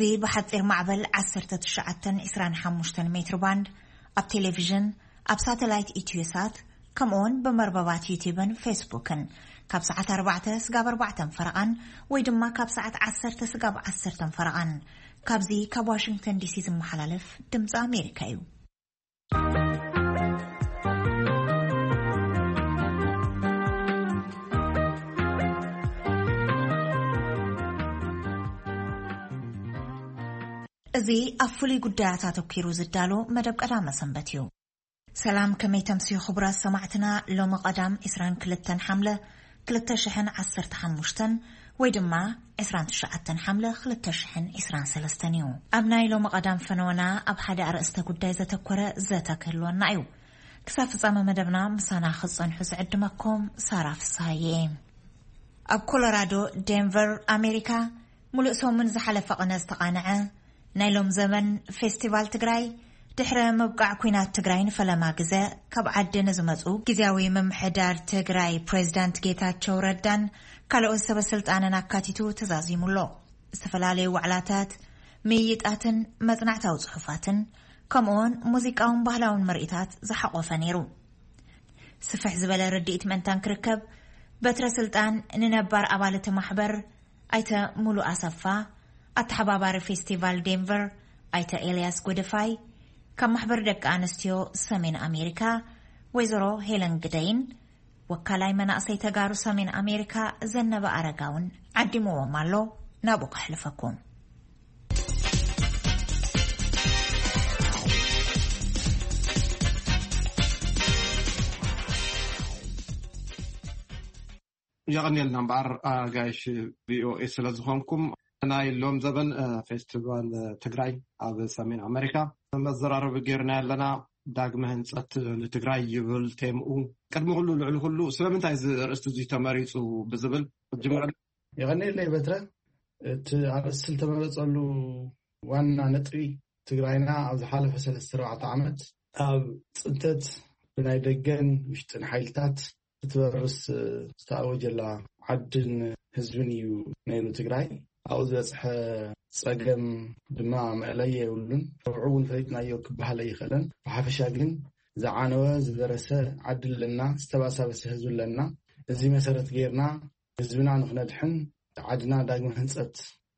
እዚ ብሓጺር ማዕበል ዓሰርተ ትሽዓተ ዕስራን ሓሙሽተን ሜትር ባንድ፣ ኣብ ቴሌቪዥን፣ ኣብ ሳተላይት ኢትዮሳት፣ ከምኡውን ብመርበባት ዩቲብን ፌስቡክን ካብ ሰዓት ኣርባዕተ ስጋብ ኣርባዕተን ፈረቓን ወይ ድማ ካብ ሰዓት ዓሰርተ ስጋብ ዓሰርተን ፈረቓን፣ ካብዚ ካብ ዋሽንግተን ዲሲ ዝመሓላለፍ ድምፂ ኣሜሪካ እዩ። እዚ ኣብ ፍሉይ ጉዳያት ኣተኲሩ ዝዳሎ መደብ ቀዳመ ሰንበት እዩ። ሰላም፣ ከመይ ተምስዩ ክቡራት ሰማዕትና? ሎሚ ቀዳም ዕስራን ክልተን ሓምለ ክልተ ሽሕን ዓሰርተ ሓሙሽተን ወይ ድማ ዕስራን ትሽዓተን ሓምለ ክልተ ሽሕን ዕስራን ሰለስተን እዩ። ኣብ ናይ ሎሚ ቀዳም ፈነወና ኣብ ሓደ ኣርእስተ ጉዳይ ዘተኮረ ዘተ ክህልወና እዩ። ክሳብ ፍጻመ መደብና ምሳና ክትጸንሑ ዝዕድመኩም ሳራ ፍስሃየ እየ። ኣብ ኮሎራዶ ዴንቨር ኣሜሪካ፣ ሙሉእ ሰሙን ዝሓለፈ ቅነ ዝተቓንዐ ናይ ሎም ዘበን ፌስቲቫል ትግራይ፣ ድሕረ ምብቃዕ ኲናት ትግራይ ንፈለማ ግዘ ካብ ዓዲ ንዝመፁ ግዝያዊ ምምሕዳር ትግራይ ፕሬዚዳንት ጌታቸው ረዳን ካልኦት ሰበ ስልጣንን ኣካቲቱ ተዛዚሙ ኣሎ። ዝተፈላለዩ ዋዕላታት፣ ምይይጣትን መጽናዕታዊ ጽሑፋትን፣ ከምኡውን ሙዚቃውን ባህላውን ምርኢታት ዝሓቖፈ ነይሩ። ስፍሕ ዝበለ ርድኢት ምእንታን ክርከብ፣ በትረ ስልጣን ንነባር ኣባል እቲ ማሕበር ኣይተ ሙሉ ኣሰፋ፣ ኣተሓባባሪ ፌስቲቫል ዴንቨር ኣይተ ኤልያስ ጎደፋይ፣ ካብ ማሕበር ደቂ ኣንስትዮ ሰሜን ኣሜሪካ ወይዘሮ ሄለን ግደይን፣ ወካላይ መናእሰይ ተጋሩ ሰሜን ኣሜሪካ ዘነበ ኣረጋውን ዓዲምዎም ኣሎ። ናብኡ ከሕልፈኩም። የቐንየልና እምበኣር፣ ኣጋይሽ ቪኦኤ ስለ ዝኾንኩም። ናይ ሎም ዘበን፣ እ፣ ፌስቲቫል፣ እ፣ ትግራይ ኣብ ሰሜን ኣሜሪካ መዘራረቢ ጌርና ኣለና። ዳግመ ህንጸት ንትግራይ ይብል ቴምኡ። ቅድሚ ኩሉ፣ ልዕሊ ኩሉ፣ ስለምንታይ እዚ ኣርእስቲ እዚ ተመሪጹ ብዝብል ክጅምር። የቐንየለይ በትረ። እቲ ኣርእስቲ ዝተመረጸሉ ዋና ነጥቢ፣ ትግራይና ኣብ ዝሓለፈ ሰለስተ ኣርባዕተ ዓመት ኣብ ጽንተት ብናይ ደገን ውሽጥን ሓይልታት ክትበርስ ዝተኣወጀላ ዓድን ህዝብን እዩ ነይሩ ትግራይ። ኣብኡ ዝበፅሐ ፀገም ድማ መእለየ የብሉን። ረብዑ እውን ፈሊጥናዮ ክበሃል ኣይኽእልን። ብሓፈሻ ግን ዝዓነወ፣ ዝበረሰ ዓዲ ኣለና፣ ዝተባሳበሰ ህዝቢ ኣለና። እዚ መሰረት ጌርና ህዝብና ንኽነድሕን ዓድና ዳግመ ህንፀት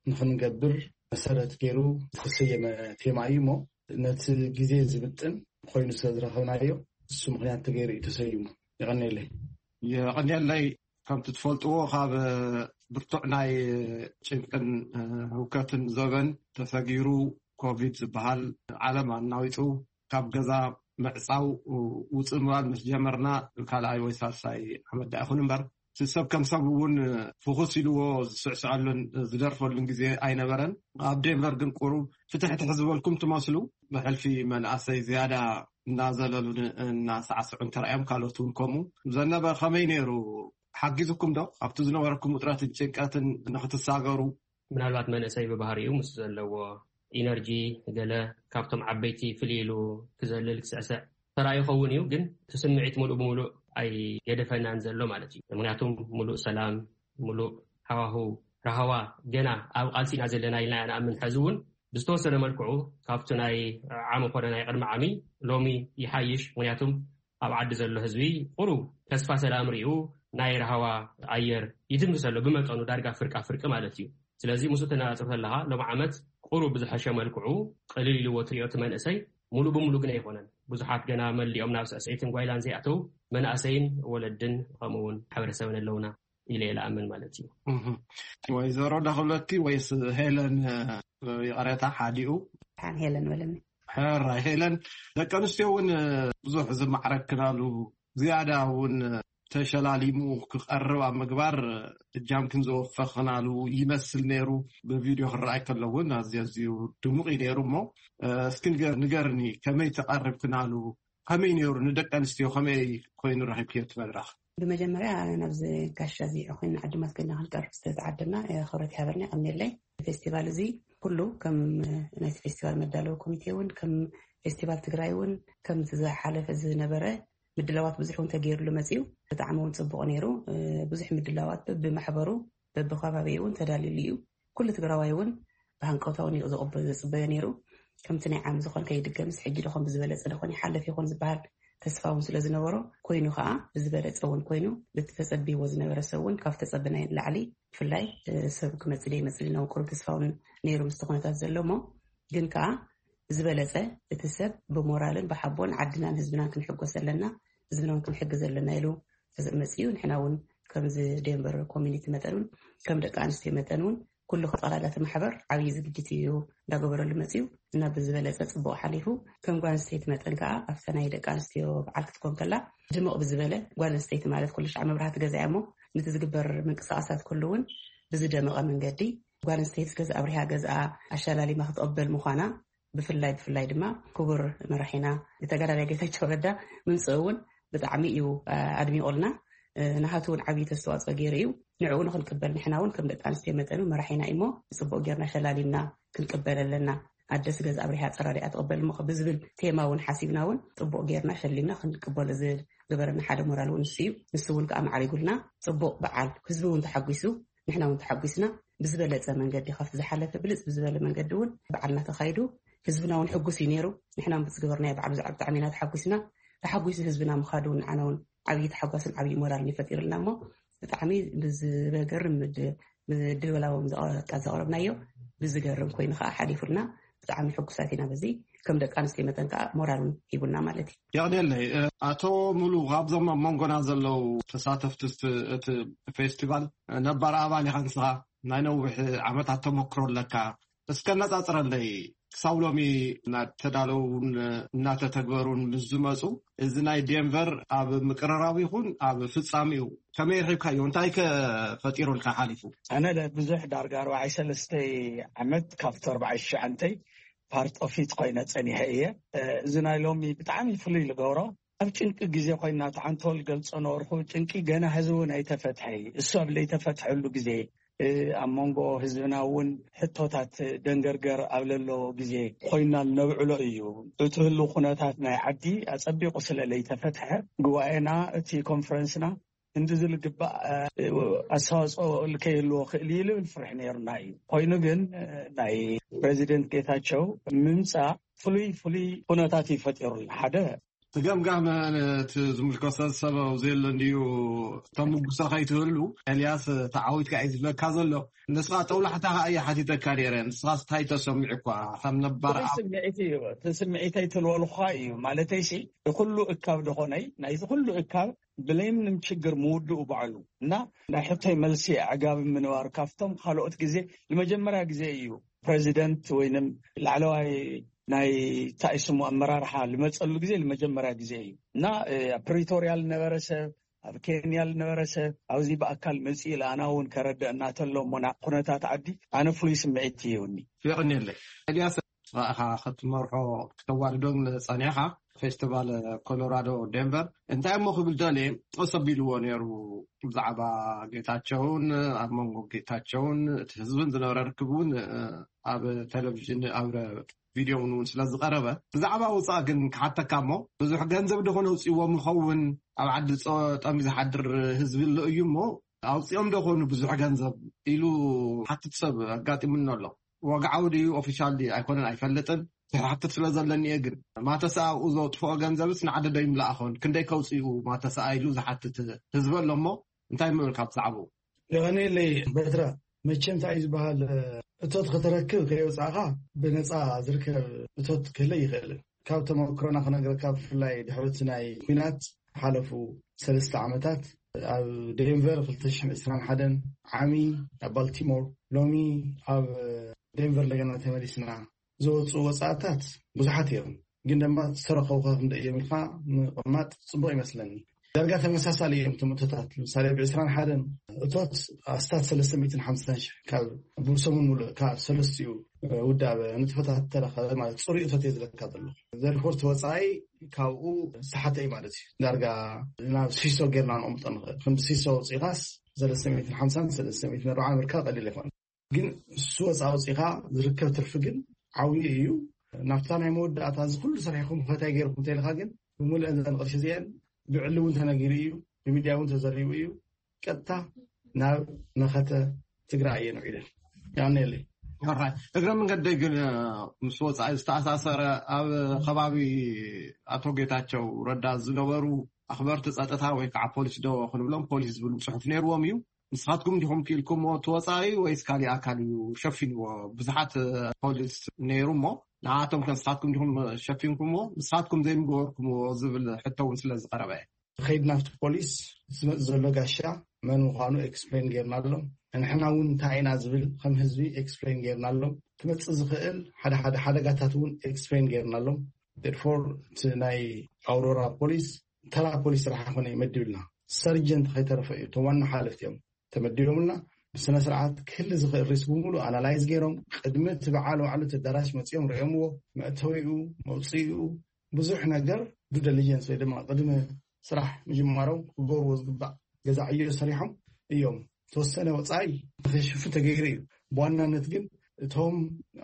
ንኽንገብር መሰረት ገይሩ ዝተሰየመ ቴማ እዩ እሞ፣ ነቲ ግዜ ዝምጥን ኮይኑ ስለ ዝረኸብናዮ፣ እሱ ምኽንያት ተገይሩ እዩ ተሰይሙ። የቐንየለይ። የቐንየለይ። ከምቲ ትፈልጥዎ፣ ካብ ብርቱዕ ናይ ጭንቅን ህውከትን ዘበን ተሰጊሩ፣ ኮቪድ ዝበሃል ዓለም ኣናዊጹ፣ ካብ ገዛ ምዕጻው ውጽእ ምባል ምስ ጀመርና ካልኣይ ወይ ሳልሳይ ዓመት ደኣ ይኹን እምበር፣ እቲ ሰብ ከም ሰብ እውን ፍኹስ ኢልዎ ዝስዕስዐሉን ዝደርፈሉን ግዜ ኣይነበረን። ኣብ ዴንቨር ግን ቁሩብ ፍትሕትሕ ዝበልኩም ትመስሉ። ብሕልፊ መናእሰይ ዝያዳ እናዘለሉን እናሳዕስዑን ተራእዮም፣ ካልኦት እውን ከምኡ። ዘነበ፣ ከመይ ነይሩ? ሓጊዙኩም ዶ ኣብቲ ዝነበረኩም ውጥረትን ጭንቀትን ንኽትሳገሩ? ምናልባት መንእሰይ ብባህሪኡ ምስ ዘለዎ ኢነርጂ፣ ገለ ካብቶም ዓበይቲ ፍልይ ኢሉ ክዘልል ክስዕስዕ ተራእዩ ይኸውን እዩ፣ ግን እቲ ስምዒት ሙሉእ ብሙሉእ ኣይገደፈናን ዘሎ ማለት እዩ። ምክንያቱም ሙሉእ ሰላም፣ ሙሉእ ሃዋሁ ራህዋ ገና ኣብ ቃልሲ ኢና ዘለና ኢልና ኢና ንኣምን። ሕዚ እውን ብዝተወሰነ መልክዑ ካብቲ ናይ ዓሚ ኮነ ናይ ቅድሚ ዓሚ ሎሚ ይሓይሽ። ምክንያቱም ኣብ ዓዲ ዘሎ ህዝቢ ቁሩብ ተስፋ ሰላም ሪኡ ናይ ራህዋ ኣየር ይትንፍስ ኣሎ፣ ብመጠኑ ዳርጋ ፍርቃ ፍርቂ ማለት እዩ። ስለዚ ምስኡ ተነጻጽር ከለኻ ሎም ዓመት ቁሩብ ብዝሐሸ መልክዑ ቅልል ኢልዎ ትሪኦ እቲ መንእሰይ። ሙሉእ ብሙሉእ ግን ኣይኮነን። ብዙሓት ገና መሊኦም ናብ ስዕስዒትን ጓይላን ዘይኣተው መናእሰይን ወለድን ከምኡ እውን ማሕበረሰብን ኣለውና ኢለ እየ ዝኣምን ማለት እዩ። እህ። ወይዘሮ ዳኽብለቲ ወይስ ሄለን፣ እ፣ ይቕሬታ ሓዲኡ? ሓን ሄለን በለኒ። ሕራይ ሄለን፣ ደቂ ኣንስትዮ እውን፣ እ፣ ብዙሕ ዝማዕረግክናሉ፣ ዝያዳ እውን ተሸላሊሙ ክቐርብ ኣብ ምግባር እጃምክን ዘወፈኽናሉ ይመስል ነይሩ። ብቪድዮ ክረኣይ ከሎ እውን ኣዝዩ፣ ኣዝዩ ድሙቕ እዩ ነይሩ። እሞ፣ እ፣ እስኪ ንገ-፣ ንገርኒ፣ ከመይ ተቐርብክናሉ? ከመይ ነይሩ? ንደቂ ኣንስትዮ ከመይ ኮይኑ ረኺብክዮ እቲ መድረኽ? ብመጀመርያ ናብዚ ጋሻ እዚ ኮይኑ ዕድማት ኮይና ክንቀርብ ዝተዓደና፣ እ፣ ክብረት ይሃበልና፣ የቐንየለይ። ፌስቲቫል እዚ ኩሉ ከም ናይቲ ፌስቲቫል መዳለዊ ኮሚቴ እውን፣ ከም ፌስቲቫል ትግራይ እውን፣ ከምቲ ዝሓለፈ ዝነበረ ምድላዋት ብዙሕ እውን ተገይሩሉ መፅዩ። ብጣዕሚ እውን ፅቡቕ ነይሩ። እ፣ ብዙሕ ምድላዋት በብማሕበሩ፣ በብከባቢኡ እውን ተዳልዩሉ እዩ። ኩሉ ትግራዋይ እውን ብሃንቀውታ እውን እዩ ዝቕበ- ዝፅበዮ ነይሩ። ከምቲ ናይ ዓሚ ዝኾን ከይድገምስ፣ ሕጂ ደኾን ብዝበለፀ ደኾን ይሓለፍ ይኾን ዝበሃል ተስፋ እውን ስለ ዝነበሮ፣ ኮይኑ ከዓ ብዝበለፀ እውን ኮይኑ፣ በቲ ተፀቢዎ ዝነበረ ሰብ እውን ካብ ተፀበናይ ንላዕሊ፣ ብፍላይ ሰብ ክመፅእ ደይመፅእ ኢልና እውን ቁሩብ ተስፋ እውን ነይሩ ምስቲ ኩነታት ዘሎ እሞ፣ ግን ከዓ ዝበለፀ እቲ ሰብ ብሞራልን ብሓቦን ዓድናን ህዝብናን ክንሕጎስ ኣለና፣ ህዝብና እውን ክንሕግዝ ኣለና ኢሉ መፅኡ። ንሕና እውን ከምዚ ዴንቨር ኮሚኒቲ መጠን እውን፣ ከም ደቂ ኣንስትዮ መጠን እውን፣ ኩሉ ክጠላላ እቲ ማሕበር ዓብዪ ዝግጅት እዩ እንዳገበረሉ መፅኡ። እና ብዝበለፀ ፅቡቕ ሓሊፉ። ከም ጓል ኣንስተይቲ መጠን ከዓ ኣብታ ናይ ደቂ ኣንስትዮ በዓል ክትኮን ከላ፣ ድምቕ ብዝበለ፣ ጓል ኣንስተይቲ ማለት ኩሉ ሻዕ መብራህቲ ገዛ እያ እሞ፣ ነቲ ዝግበር ምንቅስቃሳት ኩሉ እውን ብዝደመቐ መንገዲ፣ ጓል ኣንስተይቲ ገዛ ኣብሪሃ ገዛ ኣሻላሊማ ክትቕበል ምዃና፣ ብፍላይ ብፍላይ ድማ ክቡር መራሒና ተጋዳላይ ጌታቸው ረዳ ምምፅኡ እውን ብጣዕሚ እዩ ኣድሚቑልና። ንሃቱ እውን ዓብዪ ተስተዋፅኦ ገይሩ እዩ። ንዕኡ ንክንቅበል ንሕና እውን ከም ደቂ ኣንስትዮ መጠኑ መራሒና እሞ፣ ፅቡቅ ጌርና ሸላሊምና ክንቅበል ኣለና። ኣደስ ገዛ ኣብሪሃ ፀራሪኣ ትቕበል እሞ ብዝብል ቴማ እውን ሓሲብና እውን ፅቡቅ ጌርና ሸሊምና ክንቅበሎ ዝገበረና ሓደ ሞራል እውን ንሱ እዩ። ንሱ እውን ከዓ ማዕሪጉልና፣ ፅቡቅ በዓል፣ ህዝቢ እውን ተሓጒሱ፣ ንሕና እውን ተሓጒስና። ብዝበለፀ መንገዲ ካብቲ ዝሓለፈ ብልፅ ብዝበለ መንገዲ እውን በዓልና ተኻይዱ። ህዝብና እውን ሕጉስ እዩ ነይሩ። ንሕና እውን ብዝገበርናዮ በዓል ብዛዕባ ብጣዕሚ ኢና ተሓጒስና። ተሓጒሱ ህዝብና ምኻዱ እውን ንዓና እውን ዓብዪ ተሓጓስን ዓብዪ ሞራልን ይፈጢርልና እሞ፣ ብጣዕሚ ብዝገርም ምድ- ምድላዎም ዘቐ- ዘቕረብናዮ ብዝገርም ኮይኑ ከዓ ሓሊፉልና። ብጣዕሚ ሕጉሳት ኢና በዚ። ከም ደቂ ኣንስትዮ መጠን ከዓ ሞራል እውን ሂቡና ማለት እዩ። የቕኔለይ። ኣቶ ሙሉ፣ ካብዞም ኣብ መንጎና ዘለዉ ተሳተፍቲ እቲ ፌስቲቫል ነባር ኣባል ኢኻ ንስኻ፣ ናይ ነዊሕ ዓመታት ተመክሮ ኣለካ። እስከ ነጻጽረለይ፣ ክሳብ ሎሚ እናተዳለውን እናተተግበሩን ምስ ዝመፁ፣ እዚ ናይ ዴንቨር ኣብ ምቅርራብ ይኹን ኣብ ፍጻሜኡ ከመይ ረኺብካዮ? እንታይ ከ ፈጢሩልካ ሓሊፉ? ኣነ ለ- ብዙሕ ዳርጋ ኣርባዓይ ሰለስተ ዓመት ካብቲ ኣርባዓይ ትሽዓተ ፓርት ኦፊት ኮይነ ጸኒሐ እየ። እዚ ናይ ሎሚ ብጣዕሚ ፍሉይ ዝገብሮ፣ ኣብ ጭንቂ ግዜ ኮይና፣ እቲ ሓንቶል ገልጾ ነበርኩ፣ ጭንቂ ገና ህዚ እውን ኣይተፈትሐ እዩ። እሱ ኣብ ዘይተፈትሐሉ ግዜ፣ ኣብ መንጎ ህዝብና እውን ሕቶታት ደንገርገር ኣብ ለሎ ግዜ ኮይና ነብዕሎ እዩ። እቲ ህሉ ኩነታት ናይ ዓዲ ኣጸቢቑ ስለ ዘይተፈትሐ፣ ጉባኤና፣ እቲ ኮንፈረንስና እንዲ ዝልግባእ ኣስተዋፅኦ ልከይህልዎ ክእል እዩ ልብል ፍርሒ ነይሩና እዩ። ኮይኑ ግን ናይ ፕሬዚደንት ጌታቸው ምምፃእ ፍሉይ ፍሉይ ኩነታት እዩ ፈጢሩልና። ሓደ ትገምጋም ነቲ ዝምልከቶ ሰብ ኣብ ዘየሎ እንድዩ ተምጉሶ ከይትህሉ፣ ኤልያስ፣ ተዓዊትካ እዩ ዝብለካ ዘሎ። ንስኻ ጠውላሕታ ከኣ እየ ሓቲተካ ነይረ። ንስኻ እንታይ ተሰሚዑ እኳ ከም ነባር ፍሉይ ስምዒት እዩ። እቲ ስምዒተይ ትልወልኳ እዩ ማለተይ ሲ፣ ንኩሉ እካብ ደኾነይ ናይቲ ኩሉ እካብ ብለይምንም ችግር ምውድኡ ባዕሉ እና ናይ ሕቶይ መልሲ ኣዕጋቢ ምንባር ካብቶም ካልኦት ግዜ ንመጀመርያ ግዜ እዩ ፕሬዚደንት ወይንም ላዕለዋይ ናይ ታይስሙ ኣመራርሓ ልመፀሉ ግዜ ንመጀመርያ ግዜ እዩ እና ኣብ ፕሪቶርያ ልነበረ ሰብ፣ ኣብ ኬንያ ልነበረ ሰብ ኣብዚ ብኣካል መፅኡ ለኣና እውን ከረድአና ተሎ እሞ ኩነታት ዓዲ ኣነ ፍሉይ ስምዒት ይህውኒ። የቕንየለይ። ኤልያስ፣ ንስኻ ኢኻ ክትመርሖ ክተዋድዶን ጸኒሕኻ። ፌስቲቫል ኮሎራዶ ዴንቨር እንታይ እሞ ክብል ደልየ፣ ጠቀስ ኣቢልዎ ነይሩ። ብዛዕባ ጌታቸውን ኣብ መንጎ ጌታቸውን እቲ ህዝብን ዝነበረ ርክብ እውን ኣብ ቴሌቪዥን ኣብ ቪድዮ እውን እውን ስለ ዝቐረበ፣ ብዛዕባ ውፃእ ግን ክሓተካ እሞ፣ ብዙሕ ገንዘብ ዶ ኮነ ውፅእዎም ይኸውን? ኣብ ዓዲ ጠሚ ዝሓድር ህዝቢ ኣሎ እዩ እሞ፣ ኣውፅኦም ዶ ኮኑ ብዙሕ ገንዘብ ኢሉ ሓትት ሰብ ኣጋጢሙኒ ኣሎ። ወግዓዊ ድዩ ኦፊሻል ድዩ ኣይኮነን ኣይፈልጥን። ዝሓትት ስለ ዘለኒ እየ። ግን ማተሰኣ ኣብኡ ዘውጥፍኦ ገንዘብስ ንዓዲ ዶ ይምልኣኾን? ክንደይ ከውፅኡ ማተሰኣ ኢሉ ዝሓትት ህዝቢ ኣሎ እሞ እንታይ ምብል ካብ ዛዕባኡ? የቐንየለይ በትረ። መቸም እንታይ እዩ ዝበሃል፣ እቶት ከተረክብ ከየውፃእኻ ብነፃ ዝርከብ እቶት ክህለ ይኽእልን። ካብ ተመክሮና ክነግረካ፣ ብፍላይ ድሕሪ እቲ ናይ ኲናት ሓለፉ ሰለስተ ዓመታት ኣብ ዴንቨር ክልተ ሽሕን ዕስራን ሓደን ዓሚ፣ ኣብ ባልቲሞር፣ ሎሚ ኣብ ዴንቨር እንደገና ተመሊስና ዝወፁ ወፃእታት ብዙሓት እዮም። ግን ድማ ዝተረኸቡ ከክንደ እዮም ኢልካ ምቕማጥ ፅቡቕ ይመስለኒ። ዳርጋ ተመሳሳሊ እዮም እቶም እቶታት። ምሳሌ ብ ዕስራን ሓደን እቶት ኣስታት ሰለስተ ሚእትን ሓምሳን ሽሕ ካብ ብሰሙን ሙሉእ ካብ ሰለስቲኡ ውዳበ ንጥፈታት ተረኸበ ማለት ፅሩይ እቶት እየ ዝለካ ዘለኹ። ዘርፎርት ወፃኢ ካብኡ ሰሓተ እዩ ማለት እዩ። ዳርጋ ናብ ሲሶ ጌርና ንቕምጦ ንኽእል። ክንዲ ሲሶ ውፅኢኻስ ሰለስተ ሚእትን ሓምሳን ሰለስተ ሚእትን ኣርባዓን ምርካብ ቀሊል ኣይኮነን። ግን እሱ ወፃ ውፅኢኻ ዝርከብ ትርፊ ግን ዓብዩ እዩ። ናብታ ናይ መወዳእታ እዚ ኩሉ ሰሪሕኩም ከታይ ገይርኩም ተይልካ ግን ብምሉእ እዘን ቅርሺ እዚአን ብዕሊ እውን ተነጊሩ እዩ፣ ብሚድያ እውን ተዘሪቡ እዩ። ቀጥታ ናብ መኸተ ትግራይ እየን ውዒለን። ያኔለይ እግረ መንገደይ ግን ምስ ወፃኢ ዝተኣሳሰረ ኣብ ከባቢ ኣቶ ጌታቸው ረዳ ዝነበሩ ኣኽበርቲ ፀጥታ ወይ ከዓ ፖሊስ ዶ ክንብሎም ፖሊስ ዝብል ፅሑፍ ነይርዎም እዩ። ንስኻትኩም ዲኹም ክኢልኩምዎ እቲ ወፃኢ ወይስ ካሊእ ኣካል እዩ ሸፊንዎ? ብዙሓት ፖሊስ ነይሩ እሞ ንዓቶም ከ ንስኻትኩም ዲኹም ሸፊንኩምዎ? ንስኻትኩም ዘይምገበርኩምዎ ዝብል ሕቶ እውን ስለ ዝቐረበ እየ። ከይድ ናብቲ ፖሊስ ዝመፅ ዘሎ ጋሻ መን ምዃኑ ኤክስፕሌን ጌርና ኣሎም። ንሕና እውን እንታይ ኢና ዝብል ከም ህዝቢ ኤክስፕሌን ጌርና ኣሎም። ክመፅእ ዝኽእል ሓደ ሓደ ሓደጋታት እውን ኤክስፕሌን ጌርና ኣሎም። ፎር እቲ ናይ ኣውሮራ ፖሊስ ተራ ፖሊስ ስራሕ ኮነ መድብልና ሰርጀንት ከይተረፈ እዩ እቶም ዋና ሓለፍቲ እዮም ተመዲቦምልና። ብስነ ስርዓት ክህሊ ዝኽእል ሪስክ ብምሉእ ኣናላይዝ ገይሮም ቅድሚ እቲ በዓል ዋዕሉ እቲ ኣዳራሽ መፂኦም ርእዮምዎ። መእተዊኡ፣ መውፅኢኡ፣ ብዙሕ ነገር ዱ ደሊጀንስ ወይ ድማ ቅድሚ ስራሕ ምጅማሮም ክገብርዎ ዝግባእ ገዛ ዕዮ ሰሪሖም እዮም። ተወሰነ ወፃኢ ንክሽፍን ተገይሩ እዩ። ብዋናነት ግን እቶም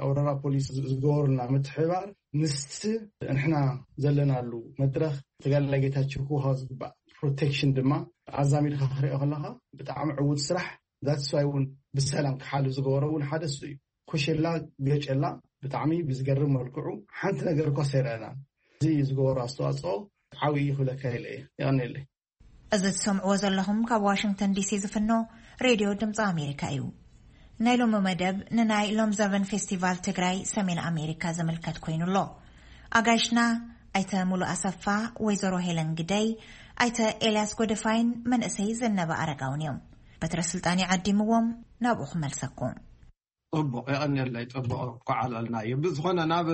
ኣውራራ ፖሊስ ዝገበሩና ምትሕባር ምስቲ ንሕና ዘለናሉ መድረኽ ተጋዳላይ ጌታቸው ክወሃብ ዝግባእ ፕሮቴክሽን ድማ ኣዛሚድካ ክሪኦ ከለካ ብጣዕሚ ዕዉት ስራሕ። ዛትስዋይ እውን ብሰላም ክሓልፍ ዝገበሮ እውን ሓደ እሱ እዩ። ኮሸላ ገጨላ ብጣዕሚ ብዝገርም መልክዑ ሓንቲ ነገር እኳ ሰይረና እዚ ዝገበሮ ኣስተዋፅኦ ዓብዪ ክብለካ ኢለ እየ። የቐንየለይ። እዚ ትሰምዕዎ ዘለኹም ካብ ዋሽንግተን ዲሲ ዝፍኖ ሬድዮ ድምፂ ኣሜሪካ እዩ። ናይ ሎሚ መደብ ንናይ ሎም ዘበን ፌስቲቫል ትግራይ ሰሜን ኣሜሪካ ዝምልከት ኮይኑ ኣሎ። ኣጋይሽና ኣይተ ሙሉ ኣሰፋ፣ ወይዘሮ ሄለን ግደይ፣ ኣይተ ኤልያስ ጎደፋይን መንእሰይ ዘነበ ኣረጋውን እዮም። በትረ ስልጣን ይዓዲምዎም ናብኡ ክመልሰኩም። ፅቡቕ የቐንየለይ። ፅቡቕ ኳዓል ኣልናዮ። ብዝኾነ ናብ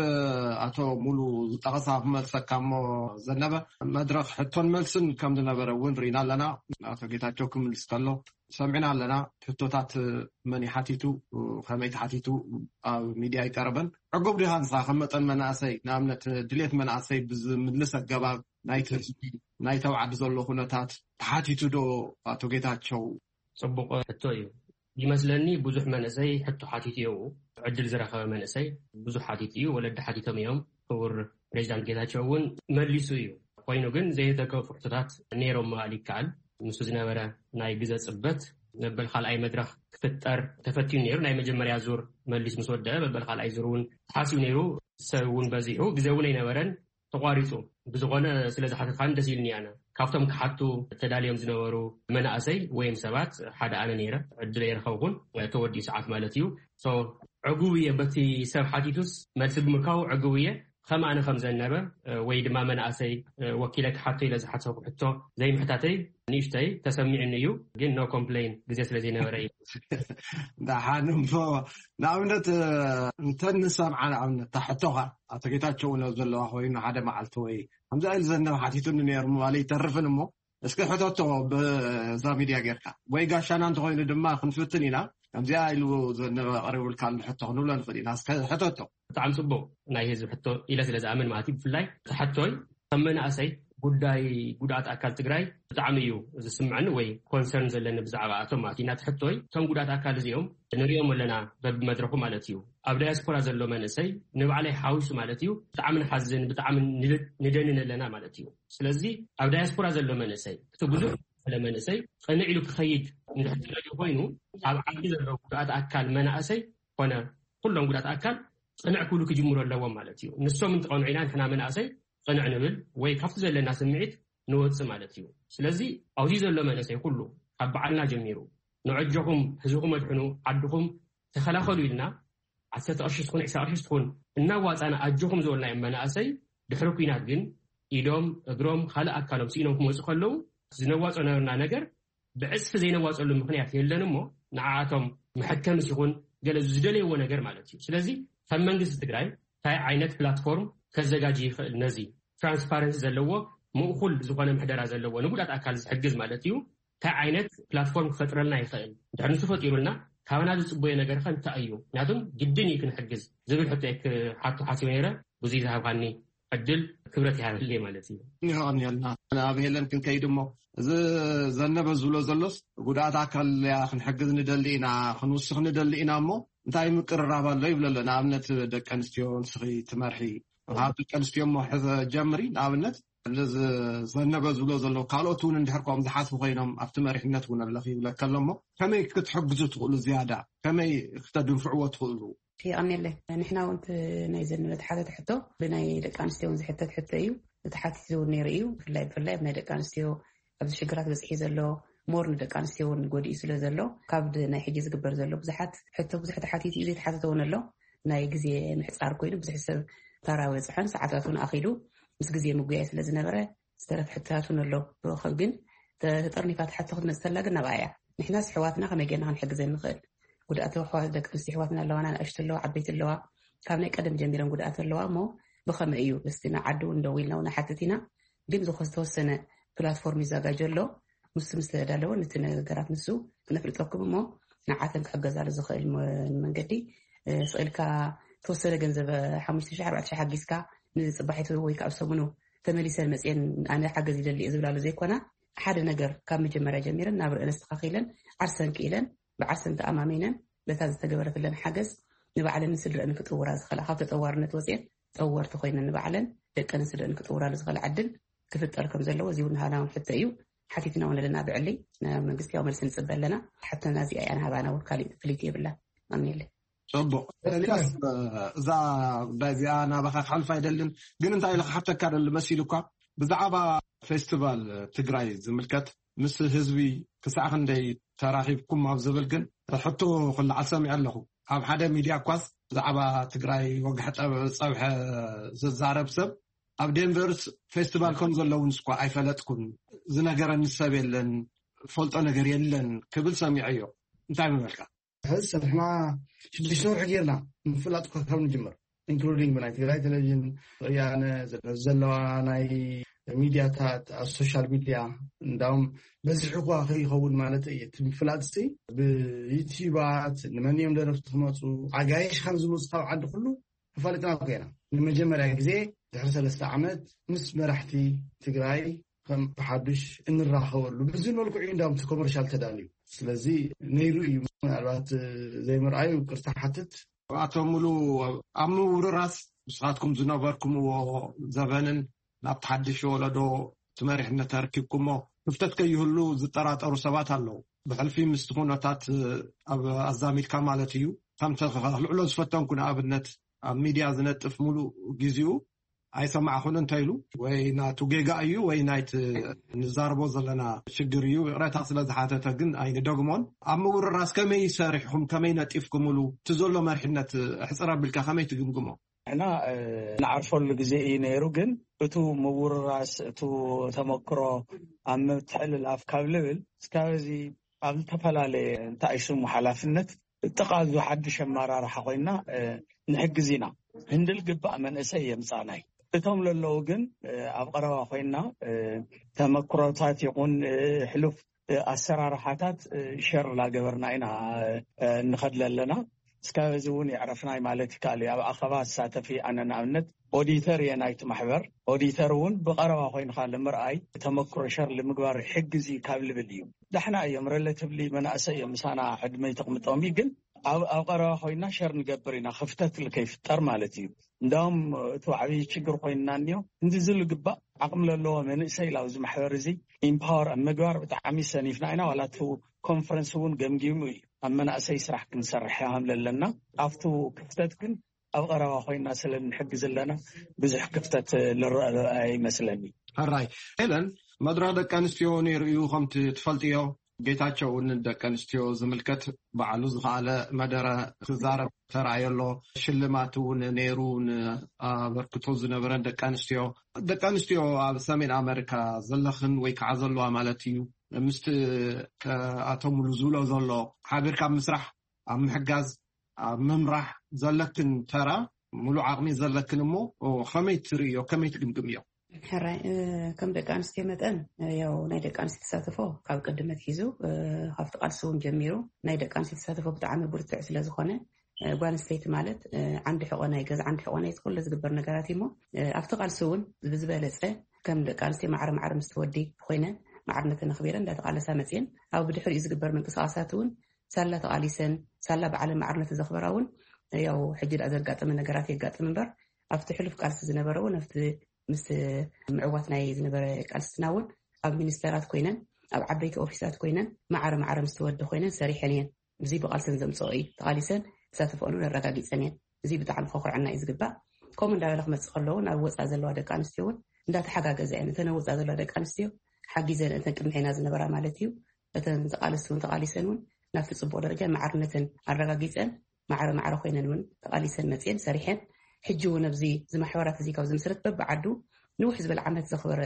ኣቶ ሙሉ ዝጠቐሳ ክመልሰካ እሞ ዘነበ መድረኽ ሕቶን መልስን ከም ዝነበረ እውን ርኢና ኣለና። ኣቶ ጌታቸው ክምልስ ከሎ ሰሚዕና ኣለና። ሕቶታት መን ይሓቲቱ፣ ከመይ ተሓቲቱ ኣብ ሚድያ ኣይቀረበን። ዕጉብ ዲኻ ንስኻ ከም መጠን መናእሰይ ንኣብነት ድሌት መናእሰይ ብዝምልስ ኣገባብ ናይቲ ህዝቢ ናይቲ ኣብ ዓዲ ዘሎ ኩነታት ተሓቲቱ ዶ ኣቶ ጌታቸው? ፅቡቕ ሕቶ እዩ። ይመስለኒ ብዙሕ መንእሰይ ሕቶ ሓቲቱ እዩ። ዕድል ዝረኸበ መንእሰይ ብዙሕ ሓቲቱ እዩ። ወለዲ ሓቲቶም እዮም። ክቡር ፕሬዚዳንት ጌታቸው እውን መሊሱ እዩ። ኮይኑ ግን ዘይተከፉ ሕቶታት ነይሮም ምባል ይከኣል። ንሱ ዝነበረ ናይ ግዘ ፅበት መበል ካልኣይ መድረኽ ክፍጠር ተፈትዩ ነይሩ። ናይ መጀመርያ ዙር መሊስ ምስ ወደአ መበል ካልኣይ ዙር እውን ተሓሲቡ ነይሩ። ሰብ እውን በዚሑ ግዘ እውን ኣይነበረን። ተቋሪፁ ብዝኾነ ስለ ዝሓተትካኒ ደስ ኢልኒ ኣነ ካብቶም ክሓቱ ተዳልዮም ዝነበሩ መናእሰይ ወይም ሰባት ሓደ ኣነ ነይረ። ዕድል የረኸብኩን ተወዲኡ ሰዓት ማለት እዩ። ዕጉብ እየ በቲ ሰብ ሓቲቱስ መልሲ ብምርካቡ ዕጉብ እየ። ከም ኣነ ከም ዘነበ ወይ ድማ መናእሰይ ወኪለ ክሓቶ ኢለ ዝሓሰብኩ ሕቶ ዘይምሕታተይ ንእሽተይ ተሰሚዕኒ እዩ። ግን ኖ ኮምፕሌን ግዜ ስለ ዘይነበረ እዩ። ደሓን እሞ ንኣብነት እንተ ንሰምዓ ንኣብነት ታሕቶኻ ኣቶ ጌታቸው እውን ኣብ ዘለዋ ኮይኑ ሓደ መዓልቲ ወይ ከምዚ ኢሉ ዘነበ ሓቲቱኒ ነይሩ ምባል ይተርፍን እሞ እስኪ ሕተቶ ብዛ ሚድያ ጌርካ ወይ ጋሻና እንተኮይኑ ድማ ክንፍትን ኢና። ከምዚኣ ኢሉ ዘነበ ቀሪቡልካ ኣሎ ሕቶ ክንብሎ ንኽእል ኢና። እስከ ሕተቶ። ብጣዕሚ ፅቡቅ ናይ ህዝቢ ሕቶ ኢለ ስለ ዝኣምን ማለት እዩ። ብፍላይ ተሓቶይ ከም መናእሰይ ጉዳይ ጉድኣት ኣካል ትግራይ ብጣዕሚ እዩ ዝስምዐኒ ወይ ኮንሰርን ዘለኒ ብዛዕባ ኣቶም ማለት እዩ። ናቲ ሕቶይ እቶም ጉድኣት ኣካል እዚኦም ንሪኦም ኣለና በብመድረኩ ማለት እዩ። ኣብ ዳያስፖራ ዘሎ መንእሰይ ንባዕለይ ሓዊሱ ማለት እዩ ብጣዕሚ ንሓዝን ብጣዕሚ ንደንን ኣለና ማለት እዩ። ስለዚ ኣብ ዳያስፖራ ዘሎ መንእሰይ እቲ ብዙሕ ዝበለ መንእሰይ ቅንዕ ኢሉ ክኸይድ እንድሕር ዝደልዩ ኮይኑ ኣብ ዓዲ ዘሎ ጉድኣት ኣካል መናእሰይ ኮነ ኩሎም ጉድኣት ኣካል ቅንዕ ክብሉ ክጅምሩ ኣለዎም ማለት እዩ። ንሶም እንትቐንዑ ኢና ንሕና መናእሰይ ቅንዕ ንብል ወይ ካብቲ ዘለና ስምዒት ንወፅእ ማለት እዩ። ስለዚ ኣብዚ ዘሎ መንእሰይ ኩሉ ካብ በዓልና ጀሚሩ ንዐጆኹም ህዝብኹም ኣድሕኑ ዓድኹም ተኸላኸሉ ኢልና ዓሰርተ ቅርሺ ትኹን ዕስራ ቅርሺ ትኹን እናዋፃና ኣጆኹም ዝበልናዮም መናእሰይ ድሕሪ ኲናት ግን ኢዶም እግሮም ካልእ ኣካሎም ስኢኖም ክመፁ ከለዉ ዝነዋፆ ነበርና ነገር ብዕፅፊ ዘይነዋፀሉ ምኽንያት የለን እሞ ንዓኣቶም መሐከምስ ይኹን ገለ ዝደለይዎ ነገር ማለት እዩ። ስለዚ ከም መንግስቲ ትግራይ እንታይ ዓይነት ፕላትፎርም ከዘጋጅ ይኽእል ነዚ ትራንስፓረንሲ ዘለዎ ምእኩል ዝኾነ ምሕደራ ዘለዎ ንጉዳት ኣካል ዝሕግዝ ማለት እዩ እንታይ ዓይነት ፕላትፎርም ክፈጥረልና ይኽእል? እንድሕር ንሱ ፈጢሩልና ካባና ዝፅበዮ ነገር ከ እንታይ እዩ? ምክንያቱም ግድን እዩ ክንሕግዝ ዝብል ሕቶ ክሓቶ ሓሲበ ነይረ። ብዙይ ዝሃብካኒ ዕድል ክብረት ይሃበለይ ማለት እዩ። ይቐንየልና። ኣብ ሄለን ክንከይድ እሞ እዚ ዘነበ ዝብሎ ዘሎስ ጉድኣት ኣካል እያ ክንሕግዝ ንደሊ ኢና ክንውስኽ ንደሊ ኢና እሞ እንታይ ምቅርራብ ኣሎ ይብሎ ኣሎ። ንኣብነት ደቂ ኣንስትዮ ንስኺ ትመርሒ ካብ ደቂ ኣንስትዮ እሞ ሕዘ ጀምሪ ንኣብነት እዚ ዘነበ ዝብሎ ዘሎ ካልኦት እውን እንድሕር ከም ዝሓስቡ ኮይኖም ኣብቲ መሪሕነት እውን ኣለኺ ይብለካ ኣሎ እሞ ከመይ ክትሕግዙ ትኽእሉ ዝያዳ ከመይ ክተድንፍዕዎ ትኽእሉ? የቐኔለ። ንሕና እውን እቲ ናይ ዘንበ ተሓተተ ሕቶ ብናይ ደቂ ኣንስትዮ እውን ዝሕተት ሕቶ እዩ። እቲ ሓቲት እውን ነይሩ እዩ። ብፍላይ ብፍላይ ኣብ ናይ ደቂ ኣንስትዮ ኣብዚ ሽግራት በፅሒ ዘሎ ሞር ንደቂ ኣንስትዮ እውን ጎዲኡ ስለ ዘሎ ካብ ናይ ሕጂ ዝግበር ዘሎ ብዙሓት ሕቶ ብዙሕ ተሓቲት እዩ፣ ዘይተሓተተ እውን ኣሎ። ናይ ግዜ ምሕፃር ኮይኑ ብዙሕ ሰብ ታራ በፅሐን ሰዓታት እውን ኣኺሉ ምስ ግዜ ምጉያይ ስለ ዝነበረ ዝተረፍ ሕቶታት እውን ኣሎ። ብረኸብ ግን ተጠርኒፋ ትሓቶ ክትመፅእ ተላ ግን ናብኣ እያ። ንሕናስ ኣሕዋትና ከመይ ጌርና ክንሕግዘን ንኽእል? ጉድኣት ኣሕዋት ደቂ ኣንስትዮ ኣሕዋትና ኣለዋና፣ ንኣሽቱ ኣለዋ፣ ዓበይቲ ኣለዋ። ካብ ናይ ቀደም ጀሚረን ጉድኣት ኣለዋ እሞ ብኸመይ እዩ እስቲ ንዓዲ እውን ደው ኢልና እውን ሓትት ኢና። ግን ዝኾ ዝተወሰነ ፕላትፎርም ይዘጋጀ ኣሎ። ምስ ምስ ተዳለወ ነቲ ነገራት ንሱ ክነፍልጠኩም እሞ ንዓተን ክሕገዛሉ ዝኽእል መ- መንገዲ እ፣ ስቕ ኢልካ ተወሰነ ገንዘብ ሓሙሽተ ሺሕ ኣርባዕተ ሺሕ ሓጊዝካ ንፅባሒቱ ወይ ከዓ ኣብ ሰሙኑ ተመሊሰን መፅየን ኣነ ሓገዝ ይደሊ እየ ዝብላሉ ዘይኮና ሓደ ነገር ካብ መጀመርያ ጀሚረን ናብ ርእን ኣስተኻኺለን ዓርሰን ክኢለን ብዓርሰን ተኣማሚነን በታ ዝተገበረትለን ሓገዝ ንባዕለን ንስድረአን ክጥውራ ዝኽእላ ካብ ተጠዋርነት ወፅየን ጠወርቲ ኮይነን ንባዕለን ደቀንን ስድረአን ክጥውራሉ ዝኽእላ ዕድል ክፍጠር ከም ዘለዎ እዚ እውን ሃናውን ሕቶ እዩ። ሓቲትና እውን ኣለና ብዕሊ ናብ መንግስቲ ያው መልሲ ንፅበ ኣለና። ሓተና እዚኣ እያ ንሃባና እውን ካሊእ ፍልይቲ የብላ። ኣሜለ ፅቡቅ። ኤልያስ፣ እዛ ጉዳይ እዚኣ ናባኻ ክሓልፍ ኣይደልን፣ ግን እንታይ ኢለ ክሓተካ ደሊ መሲሉ እኳ ብዛዕባ ፌስቲቫል ትግራይ ዝምልከት ምስ ህዝቢ ክሳዕ ክንደይ ተራኺብኩም ኣብ ዝብል ግን ሕቶ ክለዓል ሰሚዐ ኣለኹ። ኣብ ሓደ ሚድያ እኳስ ብዛዕባ ትግራይ ወግሐ ጠብ- ፀብሐ ዝዛረብ ሰብ ኣብ ዴንቨርስ ፌስቲቫል ከም ዘለውን ስኳ ኣይፈለጥኩን፣ ዝነገረኒ ሰብ የለን፣ ፈልጦ ነገር የለን ክብል ሰሚዐዮ። እንታይ ምበልካ? ሕዚ ንሕና ሽዱሽተ ወርሒ ጌርና ምፍላጥ እኳ ካብ ንጅምር ኢንክሉዲንግ ብናይ ትግራይ ቴሌቪዥን ወያነ ዘለዋ ናይ ሚድያታት ኣብ ሶሻል ሚድያ እንዳውም በዝሒ እኳ ከይኸውን ማለት እዩ። እቲ ምፍላጥ ሲ ብዩቲዩባት ንመን እዮም ደረፍቲ ክመፁ ኣጋይሽ ከም ዝመፁ ካብ ዓዲ ኩሉ ተፋሊጥና ኮይና ንመጀመርያ ግዜ ድሕሪ ሰለስተ ዓመት ምስ መራሕቲ ትግራይ ከም ብሓዱሽ እንራኸበሉ ብዚ መልክዑ እንዳውም እቲ ኮመርሻል ተዳልዩ። ስለዚ ነይሩ እዩ። ምናልባት ዘይምርኣዩ ቅርታ ሓትት። ኣቶ ሙሉ፣ ኣብ ምውርራስ ንስኻትኩም ዝነበርኩምዎ ዘበንን ናብቲ ሓድሽ ወለዶ እቲ መሪሕነት ተረኪብኩሞ ክፍተት ከይህሉ ዝጠራጠሩ ሰባት ኣለዉ። ብሕልፊ ምስቲ ኩነታት ኣብ ኣዛሚድካ ማለት እዩ። ከምቲ ክልዕሎ ዝፈተንኩ ንኣብነት ኣብ ሚድያ ዝነጥፍ ሙሉ ግዜኡ ኣይሰማዕኹን እንተ ኢሉ ወይ ናቱ ጌጋ እዩ ወይ ናይቲ ንዛርቦ ዘለና ሽግር እዩ። ይቕረታ ስለ ዝሓተተ ግን ኣይንደግሞን። ኣብ ምውርራስ ከመይ ሰሪሕኹም ከመይ ነጢፍኩምሉ እቲ ዘሎ መሪሕነት ኣሕፅር ኣቢልካ ከመይ ትግምግሞ? ንሕና ንዓርፈሉ ግዜ እዩ ነይሩ፣ ግን እቱ ምውርራስ እቱ ተመክሮ ኣብ ምትሕልላፍ ካብ ልብል እስካብ እዚ ኣብ ዝተፈላለየ እንታይ ሽሙ ሓላፍነት ጥቓ እዚ ሓድሽ ኣመራርሓ ኮይና ንሕግዝ ኢና። ህንድል ግባእ መንእሰይ የምፃእናይ እቶም ለለዉ ግን ኣብ ቀረባ ኮይና ተመክሮታት ይኹን ሕሉፍ ኣሰራርሓታት ሸር ላገበርና ኢና እንኸድ ለለና። እስካብ እዚ እውን የዕረፍናይ ማለት ይከኣል እዩ። ኣብ ኣኸባ ዝሳተፍ ኣነ ንኣብነት ኦዲተር እየ ናይቲ ማሕበር። ኦዲተር እውን ብቐረባ ኮይንካ ንምርኣይ ተመክሮ ሸር ንምግባር ይሕግዝ እዩ ካብ ልብል እዩ። ዳሕና እዮም ረለቲቭሊ መናእሰይ እዮም ምሳና ዕድመ ይተቕምጦም እዩ ግን ኣብ ኣብ ቀረባ ኮይና ሸር ንገብር ኢና ክፍተት ከይፍጠር ማለት እዩ። እንዳውም እቲ ዓብዪ ችግር ኮይንና እኒዮ እንዲ ዝልግባእ ዓቕሚ ለለዎ መንእሰይ ላብዚ ማሕበር እዚ ኢምፓወር ኣብ ምግባር ብጣዕሚ ሰኒፍና ኢና። ዋላ እቲ ኮንፈረንስ እውን ገምጊሙ እዩ ኣብ መናእሰይ ስራሕ ክንሰርሕ ሃም ለለና ኣብቲ ክፍተት ግን ኣብ ቀረባ ኮይና ስለ ንሕግዝ ኣለና ብዙሕ ክፍተት ልረአ ኣይመስለኒ። ሕራይ ኤለን መድረኽ ደቂ ኣንስትዮ ነይሩ እዩ ከምቲ ትፈልጥዮ ጌታቸው እውን ደቂ ኣንስትዮ ዝምልከት ባዕሉ ዝኸኣለ መደረ ክዛረብ ተራእዮ ኣሎ። ሽልማት እውን ነይሩ ንኣበርክቶ ዝነበረን ደቂ ኣንስትዮ ደቂ ኣንስትዮ ኣብ ሰሜን ኣመሪካ ዘለኽን ወይ ከዓ ዘለዋ ማለት እዩ ምስቲ ኣቶ ሙሉ ዝብሎ ዘሎ ሓቢርካ ምስራሕ ኣብ ምሕጋዝ ኣብ ምምራሕ ዘለክን ተራ ሙሉ ዓቕሚ ዘለክን እሞ ከመይ ትርእዮ ከመይ ትግምግምዮ? ሕራይ ከም ደቂ ኣንስትዮ መጠን ያው ናይ ደቂ ኣንስትዮ ተሳትፎ ካብ ቅድም ኣትሒዙ ካብቲ ቃልሲ እውን ጀሚሩ ናይ ደቂ ኣንስትዮ ተሳትፎ ብጣዕሚ ብርቱዕ ስለ ዝኾነ ጓል ኣንስተይቲ ማለት ዓንዲ ሕቆ ናይ ገዛ ዓንዲ ሕቆ ናይ ኩሉ ዝግበር ነገራት እዩ እሞ ኣብቲ ቃልሲ እውን ብዝበለፀ ከም ደቂ ኣንስትዮ ማዕረ ማዕረ ምስ ወዲ ኮይነን ማዕርነተን ኣኽቢረን እንዳተቃለሳ መፅየን ኣብ ብድሕሪኡ ዝግበር ምንቅስቃሳት እውን ሳላ ተቃሊሰን ሳላ ባዕለን ማዕርነተን ዘኽበራ እውን ያው ሕጂ ደኣ ዘጋጠመ ነገራት የጋጥም እምበር ኣብቲ ሕሉፍ ቃልሲ ዝነበረ እውን ኣብቲ ምስ ምዕዋት ናይ ዝነበረ ቃልስትና እውን ኣብ ሚኒስተራት ኮይነን ኣብ ዓበይቲ ኦፊሳት ኮይነን ማዕረ ማዕረ ምስ ተወዲ ኮይነን ሰሪሐን እየን። እዚ ብቃልሰን ዘምፅኦ እዩ። ተቃሊሰን ዝሳተፈኦን እውን ኣረጋጊፀን እየን። እዚ ብጣዕሚ ከኹርዐና እዩ ዝግባእ። ከምኡ እንዳበለ ክመፅእ ከለዎ ናብ ወፃእ ዘለዋ ደቂ ኣንስትዮ እውን እንዳተሓጋገዛ እየን። እተን ኣብ ወፃእ ዘለዋ ደቂ ኣንስትዮ ሓጊዘን እተን ቅድሚ ሕና ዝነበራ ማለት እዩ። እተን ተቃለስቲ እውን ተቃሊሰን እውን ናብቲ ፅቡቅ ደረጃ ማዕርነተን ኣረጋጊፀን ማዕረ ማዕረ ኮይነን እውን ተቃሊሰን መፅየን ሰሪሐን። ሕጂ እውን ኣብዚ እዚ ማሕበራት እዚ ካብ ዝምስረት በብዓዱ ንውሕ ዝበለ ዓመት ዘኽበረ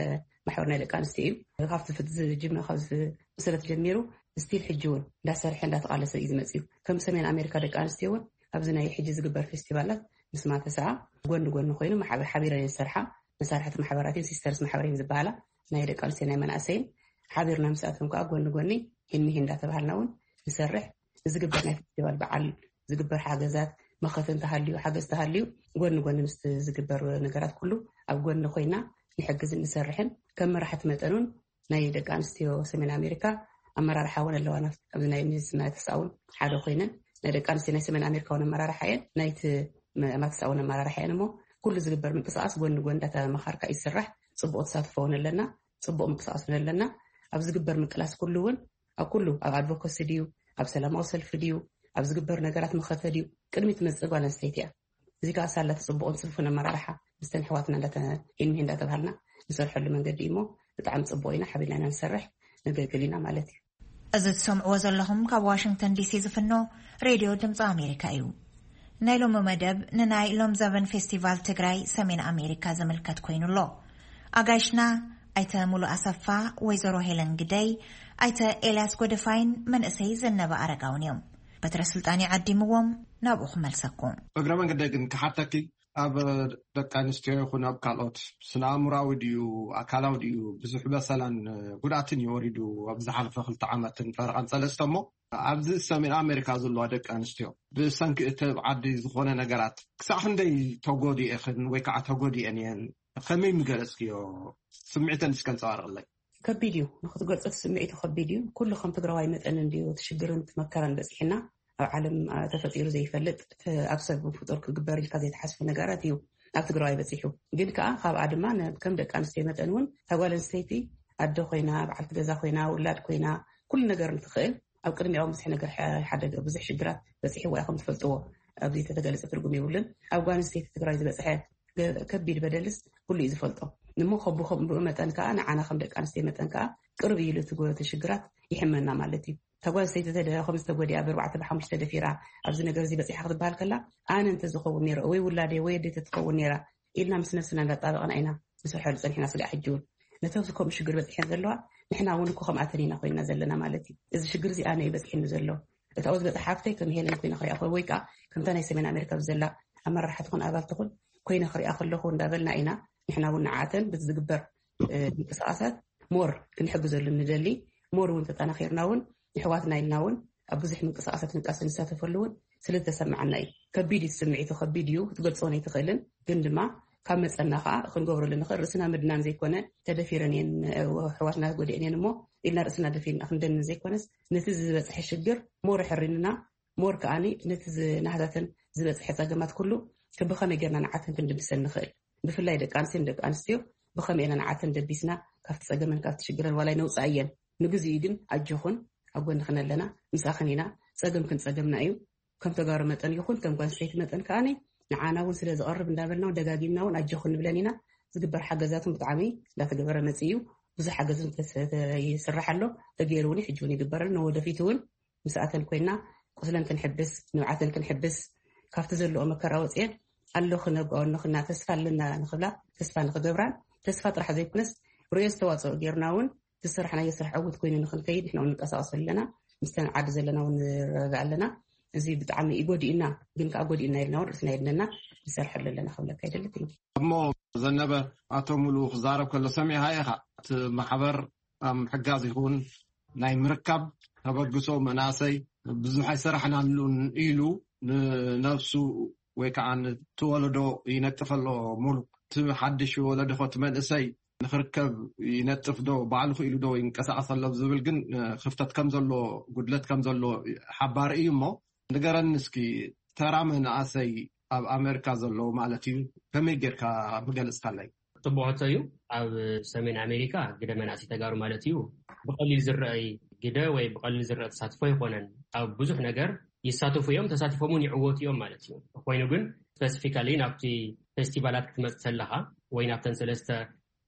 ማሕበር ናይ ደቂ ኣንስትዮ እዩ። ካብቲ ፍት ዝጅመ ካብ ዝምስረት ጀሚሩ ስቲል ሕጂ እውን እንዳሰርሐ እንዳተቃለሰ እዩ ዝመፅእ እዩ። ከም ሰሜን ኣሜሪካ ደቂ ኣንስትዮ እውን ኣብዚ ናይ ሕጂ ዝግበር ፌስቲቫላት ምስ ማተሰኣ ጎኒ ጎኒ ኮይኑ ማሕበ- ሓቢረን እየን ዝሰርሓ። መሳርሕቲ ማሕበራት እየን፣ ሲስተርስ ማሕበር እየን ዝበሃላ፣ ናይ ደቂ ኣንስትዮ ናይ መናእሰይን። ሓቢርና ምስኣቶም ከዓ ጎኒ ጎኒ ሂንሚሂ እንዳተባሃልና እውን ንሰርሕ። ንዝግበር ናይ ፌስቲቫል በዓል ዝግበር ሓገዛት መኸተ እንተሃልዩ ሓገዝ ተሃልዩ ጎኒ ጎኒ ምስ ዝግበር ነገራት ኩሉ ኣብ ጎኒ ኮይና ንሕግዝን ንሰርሕን። ከም መራሕቲ መጠን እውን ናይ ደቂ ኣንስትዮ ሰሜን ኣሜሪካ ኣመራርሓ እውን ኣለዋና። ኣብዚ ናይ ሚኒስትሪ ናይ ተስኣ እውን ሓደ ኮይነን ናይ ደቂ ኣንስትዮ ናይ ሰሜን ኣሜሪካ እውን ኣመራርሓ እየን፣ ናይቲ መ- ማተስኣ እውን ኣመራርሓ እየን። እሞ ኩሉ ዝግበር ምንቅስቃስ ጎኒ ጎኒ እንዳተመኻርካ እዩ ዝስራሕ። ፅቡቅ ተሳትፎ እውን ኣለና፣ ፅቡቅ ምንቅስቃስ እውን ኣለና። ኣብ ዝግበር ምቅላስ ኩሉ እውን ኣብ ኩሉ ኣብ ኣድቮኮሲ ድዩ ኣብ ሰላማዊ ሰልፊ ድዩ ኣብ ዝግበር ነገራት መኸተ ድዩ ቅድሚት ትመፅእ ጓል ኣንስተይቲ እያ። እዚ ከዓ ሳላ ተፅቡቅን ፅፉን ኣመራርሓ ምስተን ኣሕዋትና እንዳተኢንሚሂ እንዳተባሃልና ንሰርሐሉ መንገዲ እሞ ብጣዕሚ ፅቡቅ ኢና። ሓቢርና ኢና ንሰርሕ፣ ነገልግል ኢና ማለት እዩ። እዚ ትሰምዕዎ ዘለኹም ካብ ዋሽንግተን ዲሲ ዝፍኖ ሬድዮ ድምፂ ኣሜሪካ እዩ። ናይ ሎሚ መደብ ንናይ ሎም ዘበን ፌስቲቫል ትግራይ ሰሜን ኣሜሪካ ዝምልከት ኮይኑ ኣሎ። ኣጋይሽና ኣይተ ሙሉ ኣሰፋ፣ ወይዘሮ ሄለን ግደይ፣ ኣይተ ኤልያስ ጎደፋይን መንእሰይ ዘነበ ኣረጋውን እዮም። በትረ ስልጣን ይዓዲምዎም ናብኡ ክመልሰኩም። እግረ መንገደይ ግን ክሓተኪ ኣብ ደቂ ኣንስትዮ ይኹን ኣብ ካልኦት ስነ ኣእምራዊ ድዩ ኣካላዊ ድዩ ብዙሕ በሰላን ጉድኣትን ይወሪዱ ኣብ ዝሓለፈ ክልተ ዓመትን ፈረቓን ሰለስተ እሞ ኣብዚ ሰሜን ኣሜሪካ ዘለዋ ደቂ ኣንስትዮ ብሰንኪ እቲ ኣብ ዓዲ ዝኾነ ነገራት ክሳዕ ክንደይ ተጎዲኤኽን ወይ ከዓ ተጎዲኤን እየን? ከመይ ምገለፅክዮ? ስምዒተን እስከ ኣንፀባርቕለይ። ከቢድ እዩ ንክትገልፆ እቲ ስምዒቱ ከቢድ እዩ። ኩሉ ከም ትግራዋይ መጠን እንድዩ እቲ ሽግርን እቲ መከራን በፂሕና። ኣብ ዓለም ተፈጢሩ ዘይፈልጥ ኣብ ሰብ ፍጡር ክግበር ኢልካ ዘይተሓስቡ ነገራት እዩ ኣብ ትግራዋይ በፂሑ። ግን ከዓ ካብኣ ድማ ከም ደቂ ኣንስትዮ መጠን እውን ተጓል ኣንስተይቲ ኣደ ኮይና በዓልቲ ገዛ ኮይና ውላድ ኮይና ኩሉ ነገር እንትኽእል ኣብ ቅድሚኦም ብዙሕ ነገር ሓደገ ብዙሕ ሽግራት በፂሕዋ ኢኹም ትፈልጥዎ። ኣብዚ ተተገለፀ ትርጉም የብሉን። ኣብ ጓል ኣንስተይቲ ትግራይ ዝበፅሐ ከቢድ በደልስ ኩሉ እዩ ዝፈልጦ። እሞ ከብኡ መጠን ከዓ ንዓና ከም ደቂ ኣንስትዮ መጠን ከዓ ቅርብ ኢሉ እቲ ሽግራት ይሕመና ማለት እዩ። ተጓል ሰይቲ ተደ ከም ዝተጎዲኣ ብርባዕተ ብሓሙሽተ ደፊራ ኣብዚ ነገር እዚ በፂሓ ክትበሃል ከላ ኣነ እንተዝኸውን ነይረ ወይ ውላደይ ወይ ኣደይ ተትኸውን ነይራ ኢልና ምስ ነብስና እንዳጣበቕና ኢና ንሰርሐሉ ፀኒሕና። ስጋዕ ሕጂ እውን ነቶም ከምኡ ሽግር በፂሐን ዘለዋ ንሕና እውን እኮ ከምኣተን ኢና ኮይንና ዘለና ማለት እዩ። እዚ ሽግር እዚ ኣነ እዩ በፂሕኒ ዘሎ። እታ ዝበፅሐ ሓፍተይ ከም ሄለን ኮይና ክሪኣ ወይ ከዓ ከምታ ናይ ሰሜን ኣሜሪካ ብዘላ ኣመራርሓ ትኹን ኣባል ትኹን ኮይነ ክሪኣ ከለኹ እንዳበልና ኢና ንሕና እውን ንዓተን ብዝግበር ምንቅስቃሳት ሞር ክንሕግዘሉ ንደሊ። ሞር እውን ተጠናኺርና እውን ንሕዋትና ኢልና እውን ኣብ ብዙሕ ምንቅስቃሳት ንቃስ ንሳተፈሉ እውን ስለ ዝተሰማዓና እዩ። ከቢድ እዩ ስምዒቱ ከቢድ እዩ ክትገልፆ ኣይትኽእልን። ግን ድማ ካብ መፀና ከዓ ክንገብረሉ ንኽእል ርእስና ምድናን ዘይኮነ ተደፊረን እየን ሕዋትና ጎዲአን እየን እሞ ኢልና ርእስና ደፊርና ክንደንን ዘይኮነስ ነቲ ዝበፅሐ ሽግር ሞር ሕሪንና ሞር ከዓኒ ነቲ ናህታተን ዝበፅሐ ፀገማት ኩሉ ብኸመይ ጌርና ንዓተን ክንድምሰን ንኽእል ብፍላይ ደቂ ኣንስትዮ ንደቂ ኣንስትዮ ብኸመይ ኢና ንዓተን ደቢስና ካብቲ ፀገመን ካብቲ ሽግረን ዋላ ነውፃእየን ንግዜኡ ግን ኣጆኹን ኣብ ጎንኽን ኣለና ምሳኽን ኢና። ፀገምክን ፀገምና እዩ። ከም ተጋሩ መጠን ይኹን ከም ጓል ኣንስተይቲ መጠን ከዓኒ ንዓና እውን ስለ ዝቐርብ እንዳበልና እውን ደጋጊምና እውን ኣጆኹን ንብለን ኢና። ዝግበር ሓገዛት እውን ብጣዕሚ እንዳተገበረ መፂኡ እዩ። ብዙሕ ሓገዝ እውን ይስራሕ ኣሎ። ተገይሩ እውን ሕጂ እውን ይግበር ኣሎ። ንወደፊት እውን ምስኣተን ኮይና ቁስለን ክንሕብስ ንብዓተን ክንሕብስ ካብቲ ዘለዎ መከራ ወፅኤን ኣሎ ክነብኣወ ንኽና ተስፋ ኣለና ንኽብላ ተስፋ ንኽገብራን ተስፋ ጥራሕ ዘይኮነስ ርእዮ ዝተዋፅኦ ጌርና እውን ዝሰራሕናዮ ስራሕ ዕውት ኮይኑ ንኽንከይድ ንሕና እውን ንቀሳቀሱ ኣለና። ምስተን ዓዲ ዘለና እውን ንረዳእ ኣለና። እዚ ብጣዕሚ ይጎዲእና ግን ከዓ ጎዲእና ኢልና እውን ርእስና የድነና ንሰርሐሉ ኣለና ክብለካ ይደሊ። እሞ ዘነበ ኣቶ ሙሉ ክዛረብ ከሎ ሰሚዕካ ኢኻ እቲ ማሕበር ኣብ ምሕጋዝ ይኹን ናይ ምርካብ ተበግሶ መናእሰይ ብዙሕ ኣይሰራሕናሉን ኢሉ ንነብሱ ወይ ከዓ ንትወለዶ ይነጥፈ ኣሎ። ሙሉ እቲ ሓድሽ ወለዶ እቲ መንእሰይ ንክርከብ ይነጥፍ ዶ ባዕሉ ክኢሉ ዶ ይንቀሳቀስ ኣሎ ዝብል ግን ክፍተት ከም ዘሎ ጉድለት ከም ዘሎ ሓባሪ እዩ። እሞ ንገረኒ እስኪ ተራ መናእሰይ ኣብ ኣሜሪካ ዘለዉ ማለት እዩ ከመይ ጌርካ ምገለፅካለይ? ፅቡቅ ሕቶ እዩ። ኣብ ሰሜን ኣሜሪካ ግደ መናእሰይ ተጋሩ ማለት እዩ ብቀሊል ዝረአይ ግደ ወይ ብቀሊል ዝረአ ተሳትፎ ኣይኮነን። ኣብ ብዙሕ ነገር ይሳተፉ እዮም፣ ተሳቲፎም እውን ይዕወቱ እዮም ማለት እዩ። ኮይኑ ግን ስፐሲፊካሊ ናብቲ ፌስቲቫላት ክትመጽእ ከለኻ ወይ ናብተን ሰለስተ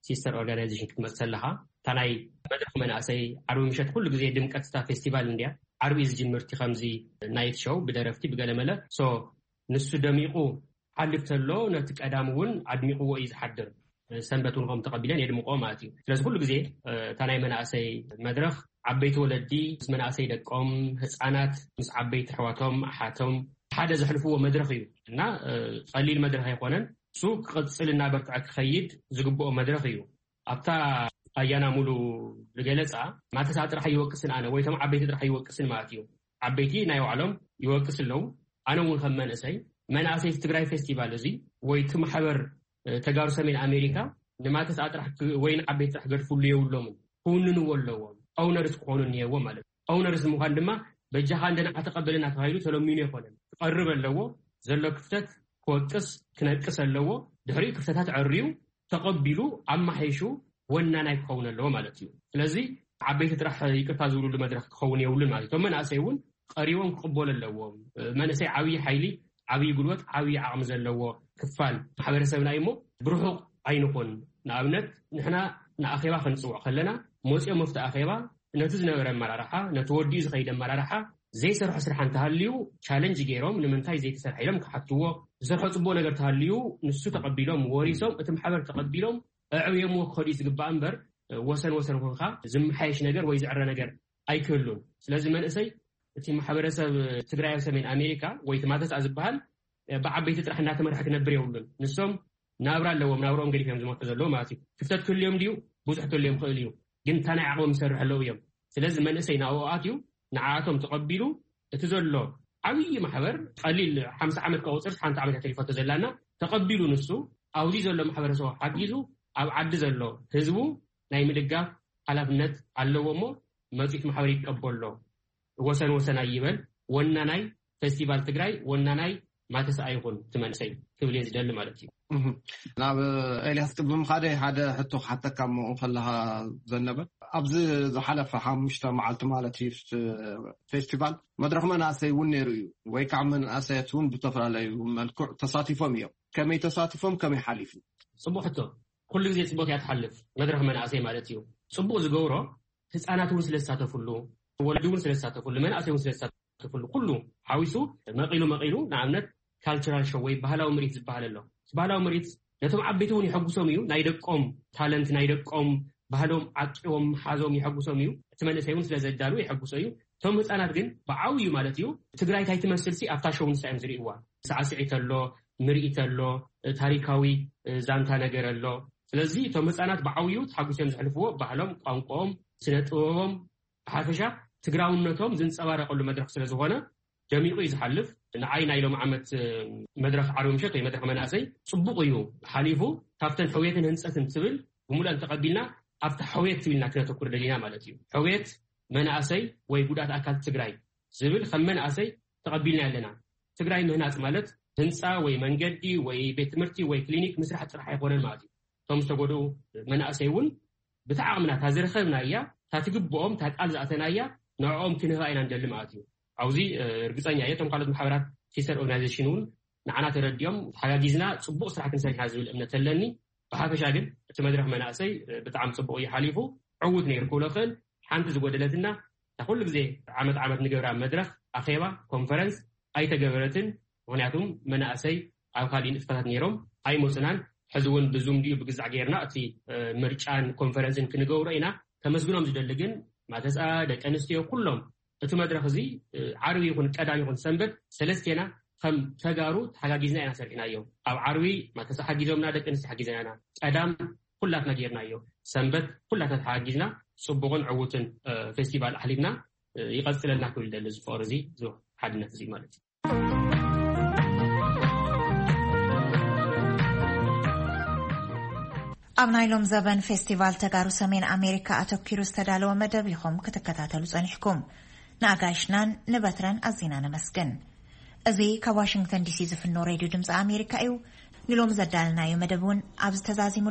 ሲስተር ኦርጋናይዜሽን ክትመጽእ ከለኻ፣ እታ ናይ መድረኽ መናእሰይ ዓርቢ ምሸት ኩሉ ግዜ ድምቀት እታ ፌስቲቫል እንድያ። ዓርቢ እዩ ዝጅምር እቲ ከምዚ ናይት ሾው ብደረፍቲ ብገለመለ። ሶ ንሱ ደሚቑ ሓልፍ ተሎ ነቲ ቀዳም እውን ኣድሚቕዎ እዩ ዝሓድር። ሰንበት እውን ከም ተቐቢለን የድምቆ ማለት እዩ። ስለዚ ኩሉ ግዜ እታ ናይ መናእሰይ መድረኽ ዓበይቲ ወለዲ ምስ መናእሰይ ደቆም፣ ህፃናት ምስ ዓበይቲ ኣሕዋቶም ኣሓቶም ሓደ ዘሕልፍዎ መድረኽ እዩ እና ቀሊል መድረኽ ኣይኮነን። እሱ ክቕፅል እናበርትዐ ክኸይድ ዝግብኦ መድረኽ እዩ። ኣብታ ኣያና ሙሉ ዝገለፃ ማተስኣ ጥራሕ ይወቅስን ኣነ ወይ ቶም ዓበይቲ ጥራሕ ይወቅስን ማለት እዩ። ዓበይቲ ናይ ባዕሎም ይወቅስ ኣለዉ። ኣነ እውን ከም መንእሰይ መናእሰይ ትግራይ ፌስቲቫል እዚ ወይ እቲ ማሕበር ተጋሩ ሰሜን ኣሜሪካ ንማተስኣ ጥራሕ ወይ ንዓበይቲ ጥራሕ ገድፍሉ የብሎምን። ክውንንዎ ኣለዎም። ኦውነርስ ክኾኑ እኒሄዎ ማለት እዩ። ኦውነርስ ምዃን ድማ በጃኻ እንደ ንዓ ተቐበለና ተባሂሉ ተለሚኑ ኣይኮነን። ክቐርብ ኣለዎ። ዘሎ ክፍተት ክወቅስ ክነቅስ ኣለዎ። ድሕሪኡ ክፍተታት ዕርዩ ተቐቢሉ ኣማሓይሹ ወናናይ ክኸውን ኣለዎ ማለት እዩ። ስለዚ ዓበይቲ ጥራሕ ይቅርታ ዝብሉሉ መድረክ ክኸውን የብሉን ማለት እዩ። እቶም መናእሰይ እውን ቀሪቦም ክቕበሉ ኣለዎም። መንእሰይ ዓብዪ ሓይሊ፣ ዓብዪ ጉልበት፣ ዓብዪ ዓቕሚ ዘለዎ ክፋል ማሕበረሰብና እዩ። እሞ ብርሑቕ ኣይንኹን። ንኣብነት ንሕና ንኣኼባ ክንፅውዕ ከለና መፂኦም ኣብቲ ኣኼባ ነቲ ዝነበረ ኣመራርሓ፣ ነቲ ወዲኡ ዝኸይድ ኣመራርሓ ዘይሰርሖ ስራሕ እንተሃልዩ ቻለንጅ ገይሮም ንምንታይ ዘይተሰርሐ ኢሎም ክሓትዎ፣ ዝሰርሖ ፅቡቅ ነገር ተሃልዩ ንሱ ተቐቢሎም ወሪሶም እቲ ማሕበር ተቐቢሎም ኣዕብዮምዎ ክኸዱ እዩ ዝግባእ እምበር ወሰን ወሰን ኮንካ ዝመሓየሽ ነገር ወይ ዝዕረ ነገር ኣይክህሉን። ስለዚ መንእሰይ እቲ ማሕበረሰብ ትግራይ ኣብ ሰሜን ኣሜሪካ ወይ እቲ ማተስኣ ዝበሃል ብዓበይቲ ጥራሕ እናተመርሐ ክነብር የብሉን። ንሶም ናብራ ኣለዎም፣ ናብርኦም ገዲፎም ዝመርሑ ዘለዉ ማለት እዩ። ክፍተት ክህልዮም ድዩ? ብዙሕ ክህልዮም ክእል እዩ። ግን እንታይ ናይ ዓቕሞም ይሰርሑ ኣለዉ እዮም። ስለዚ መንእሰይ ናብኡ ኣትዩ ንዓኣቶም ተቐቢሉ እቲ ዘሎ ዓብዪ ማሕበር ቀሊል ሓምሳ ዓመት ከቑፅር ሓንቲ ዓመት እያ ተሪፋቶ ዘላና ተቐቢሉ ንሱ ኣብዚ ዘሎ ማሕበረሰቡ ሓጊዙ ኣብ ዓዲ ዘሎ ህዝቡ ናይ ምድጋፍ ሓላፍነት ኣለዎ እሞ መፂት ማሕበር ይቀበሎ። ወሰን ወሰን ኣይበል። ወናናይ ፌስቲቫል ትግራይ ወናናይ ማተስኣ ይኹን እቲ መንእሰይ ክብል እየ ዝደሊ ማለት እዩ። እህ። ናብ ኤልያስ ቅድሚ ምኻደይ ሓደ ሕቶ ክሓተካ እሞ ከለኻ ዘነበ ኣብዚ ዝሓለፈ ሓሙሽተ መዓልቲ ማለት እዩ ፍ- ፌስቲቫል መድረኽ መናእሰይ እውን ነይሩ እዩ ወይ ከዓ መናእሰያት እውን ብተፈላለዩ መልክዕ ተሳቲፎም እዮም። ከመይ ተሳቲፎም ከመይ ሓሊፉ? ፅቡቅ ሕቶ። ኩሉ ግዜ ፅቡቅ እያ ትሓልፍ መድረኽ መናእሰይ ማለት እዩ። ፅቡቅ ዝገብሮ ህፃናት እውን ስለ ዝሳተፍሉ፣ ወለዲ እውን ስለ ዝሳተፍሉ፣ መናእሰይ እውን ስለ ዝሳተፍሉ ኩሉ ሓዊሱ መቂሉ መቂሉ ንኣብነት ካልቸራል ሾው ወይ ባህላዊ ምርኢት ዝበሃል ኣሎ። እቲ ባህላዊ ምርኢት ነቶም ዓበይቲ እውን የሐጉሶም እዩ። ናይ ደቆም ታለንት ናይ ደቆም ባህሎም ዓቂቦም ሓዞም የሐጉሶም እዩ። እቲ መንእሰይ እውን ስለ ዘዳሉ የሐጉሶ እዩ። እቶም ህፃናት ግን ብዓብዩ ማለት እዩ ትግራይ እንታይ ትመስል ሲ ኣብታ ሾው ንሳ እዮም ዝርእይዋ። ሳዕስዒት ኣሎ፣ ምርኢት ኣሎ፣ ታሪካዊ ዛንታ ነገር ኣሎ። ስለዚ እቶም ህፃናት ብዓብዩ ተሓጉሶም ዘሕልፍዎ ባህሎም ቋንቋኦም ስነ ጥበቦም ብሓፈሻ ትግራውነቶም ዝንፀባረቀሉ መድረክ ስለዝኾነ ደሚቁ እዩ ዝሓልፍ። ንዓይ ናይ ሎም ዓመት መድረክ ዓርቢ ምሸት ወይ መድረክ መናእሰይ ፅቡቅ እዩ ሓሊፉ። ካብተን ሕውየትን ህንፀትን ትብል ብምሉእን ተቐቢልና ኣብቲ ሕውየት ትብልና ክነተኩር ደሊና ማለት እዩ። ሕውየት መናእሰይ ወይ ጉዳት ኣካል ትግራይ ዝብል ከም መናእሰይ ተቐቢልና ኣለና። ትግራይ ምህናፅ ማለት ህንፃ ወይ መንገዲ ወይ ቤት ትምህርቲ ወይ ክሊኒክ ምስራሕ ጥራሕ ኣይኮነን ማለት እዩ። እቶም ዝተጎድኡ መናእሰይ እውን ብቲ ዓቕምና እታ ዝረኸብናያ እታ ትግብኦም እታ ቃል ዝኣተናያ ንዕኦም ክንህባ ኢና ንደሊ ማለት እዩ። ኣብዚ እርግፀኛ እየ እቶም ካልኦት ማሕበራት ሲስተር ኦርጋናይዜሽን እውን ንዓና ተረዲኦም ተሓጋጊዝና ፅቡቅ ስራሕ ክንሰርሕ ኢና ዝብል እምነት ኣለኒ። ብሓፈሻ ግን እቲ መድረክ መናእሰይ ብጣዕሚ ፅቡቅ እዩ ሓሊፉ። ዕዉት ነይሩ ክብሎ ክእል። ሓንቲ ዝጎደለትና እታ ኩሉ ግዜ ዓመት ዓመት ንገብራ መድረክ ኣኼባ ኮንፈረንስ ኣይተገበረትን። ምክንያቱም መናእሰይ ኣብ ካልእ ንጥፈታት ነይሮም ኣይመፁናን። ሕዚ እውን ብዙም ድዩ ብግዛዕ ገይርና እቲ ምርጫን ኮንፈረንስን ክንገብሮ ኢና። ከመስግኖም ዝደሊ ግን ማተስኣ ደቂ ኣንስትዮ ኩሎም እቲ መድረክ እዚ ዓርቢ ይኹን ቀዳም ይኹን ሰንበት ሰለስቴና ከም ተጋሩ ተሓጋጊዝና ኢና ሰሪሕናዮ። ኣብ ዓርቢ ማተሳ ሓጊዞምና ደቂ ኣንስትዮ ሓጊዘናና ቀዳም ኩላትና ጌርናዮ። ሰንበት ኩላትና ተሓጊዝና ፅቡቕን ዕዉትን ፌስቲቫል ኣሕሊፍና ይቐፅለልና ክብል ደሊ እዚ ፍቕሪ እዚ እዚ ሓድነት እዚ ማለት እዩ። ኣብ ናይ ሎም ዘበን ፌስቲቫል ተጋሩ ሰሜን ኣሜሪካ ኣተኪሩ ዝተዳለወ መደብ ኢኹም ክትከታተሉ ጸኒሕኩም። ንኣጋይሽናን ንበትረን ኣዚና ነመስግን። እዚ ካብ ዋሽንግተን ዲሲ ዝፍኖ ሬድዮ ድምፂ ኣሜሪካ እዩ። ንሎም ዘዳለናዮ መደብ እውን ኣብዚ ተዛዚሙ።